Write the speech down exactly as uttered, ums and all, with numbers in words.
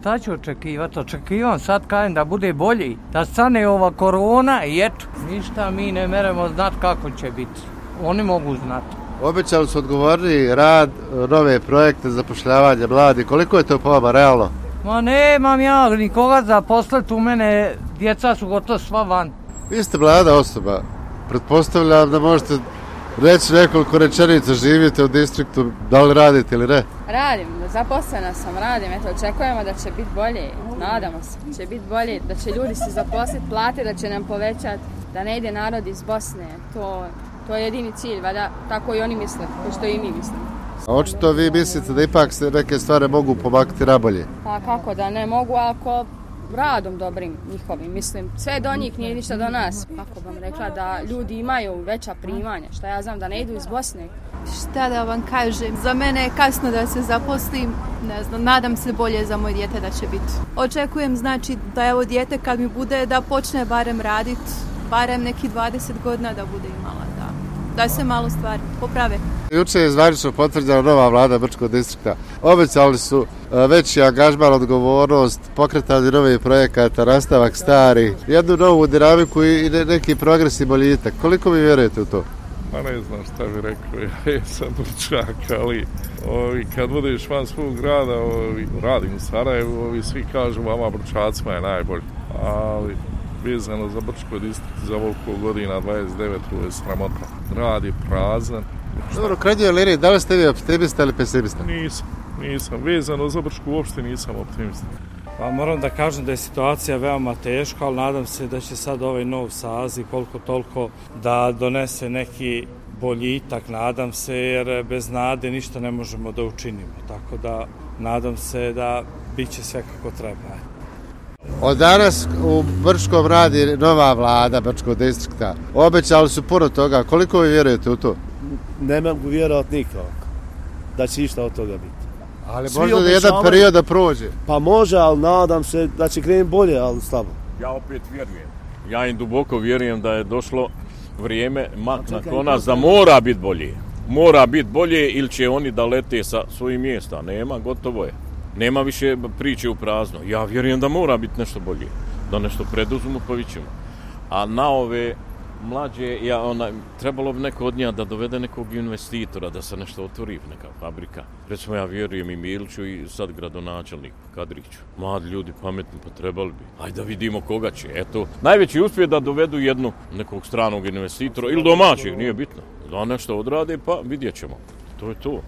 šta ću očekivati? Očekivam sad kajem da bude bolji, da stane ova korona i eto, ništa mi ne meremo znati kako će biti. Oni mogu znati. Obećali su odgovorni rad, nove projekte, zapošljavanje mladi. Koliko je to po vama realno? Ma nemam ja nikoga zaposliti, u mene djeca su gotovo sva van. Vi ste mlada osoba, pretpostavljam da možete reći nekoliko rečenica, živite u distriktu, da li radite ili ne? Radim, zaposlena sam, radim, eto, očekujemo da će biti bolje, nadamo se, će biti bolje, da će ljudi se zaposliti, plate da će nam povećati, da ne ide narod iz Bosne, to, to je jedini cilj, vada tako i oni misle, ko što i mi mislimo. A očito vi mislite da ipak se neke stvari mogu pomaknuti nabolje? Pa kako da ne mogu, ako radom dobrim njihovim, mislim, sve do njih nije ništa do nas. Kako bom rekla, da ljudi imaju veća primanja, šta ja znam, da ne idu iz Bosne. Šta da vam kažem, za mene je kasno da se zaposlim, ne znam, nadam se bolje za moj dijete da će biti. Očekujem, znači, da evo dijete kad mi bude da počne barem raditi, barem neki dvadeset godina da bude imala, da, da se malo stvari poprave. Juče je zvanično potvrđena nova vlada Brčkog distrikta. Obećali su veći angažman, odgovornost, pokretanje novih projekata, nastavak stari, jednu novu dinamiku i neki progres i boljitak. Koliko vi vjerujete u to? Pa ne znam šta bi rekao, ja sam Brčak, ali ovi, kad budeš van svog grada, ovi, radim u Sarajevu, ovi svi kažu vama Brčacima je najbolji, ali vezano za Brčko distrikt za ovoliko godina, dvadeset devet, to je sramota. Grad je prazan. Dobro, krajnjoj liniji, da li ste vi optimista ili pesimista? Nisam, nisam. Vezano za Brčku uopšte nisam optimista. Pa moram da kažem da je situacija veoma teška, ali nadam se da će sad ovaj nov saziv koliko toliko da donese neki boljitak, nadam se, jer bez nade ništa ne možemo da učinimo. Tako da nadam se da bit će sve kako treba. Od danas u Brčkom radi nova vlada Brčkog distrikta. Obećali su puno toga. Koliko vi vjerujete u to? Ne mogu vjerovati nikako da će išta od toga biti. Ali svi možda jedan period da prođe. Pa može, ali nadam se da će krenuti bolje, ali slabo. Ja opet vjerujem. Ja im duboko vjerujem da je došlo vrijeme mak na konac da mora biti bolje. Mora biti bolje ili će oni da lete sa svojih mjesta. Nema, gotovo je. Nema više priče u prazno. Ja vjerujem da mora biti nešto bolje. Da nešto preduzmu, pa vidimo. A na ove mlađe, ja, ona, trebalo bi neko od njega da dovede nekog investitora, da se nešto otvori, neka fabrika. Recimo, ja vjerujem i Miliću i sad gradonačelnik Kadriću. Mladi ljudi, pametni, pa trebali bi. Ajde da vidimo koga će. Eto, najveći uspjeh da dovedu jednu nekog stranog investitora ili domaćeg, nije bitno. Da nešto odrade, pa vidjet ćemo. To je to.